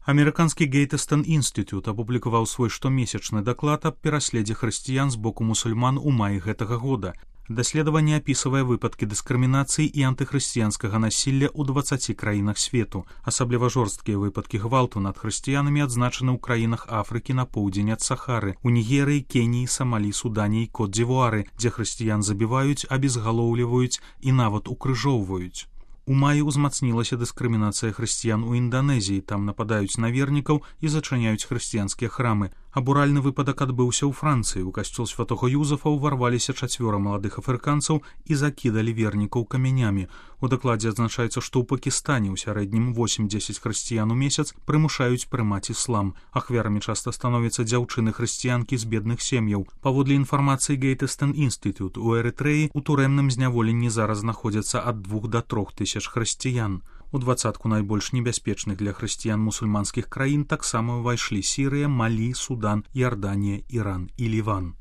Амерыканскі Гейтстон інстытут апублікаваў свой штомесячны даклад аб пераследзе хрысціян з боку мусульман у маі гэтага года. Даследаванне апісвае выпадкі дыскрымінацыі і антыхрысціянскага насілля ў 20 краінах свету. Асабліва жорсткія выпадкі гвалту над хрысціянамі адзначаны ў краінах Афрыкі на поўдзень ад Сахары, у Нігерыі, Кеніі, Самалі, Судане і Кот-дзівуары, дзе хрысціян забіваюць, абезгалоўліваюць і нават укрыжоўваюць. У маі ўзмацнілася дыскрымінацыя хрысціян у Інданезіі, там нападаюць на вернікаў і зачыняюць хрысціянскія храмы. Абуральны выпадак адбыўся ў Францыі. У касцёл святога Юзафа ўварваліся 4 маладых афрыканцаў і закідалі вернікаў камянямі. У дакладзе адзначаецца, што ў Пакістане ў сярэднім 8-10 хрысціян у месяц прымушаюць прымаць іслам. Ахвярамі часта становяцца дзяўчыны-хрысціянкі з бедных сем'яў. Паводле інфармацыі Гейтстон інстытут, у Эрытрэі ў турэмным зняволенні зараз знаходзяцца ад 2 до 3 тысяч хрысціян. У 20 найбольш небяспечных для хрысціян мусульманскіх краін таксама ўвайшлі Сірыя, Малі, Судан, Іорданія, Іран і Ліван.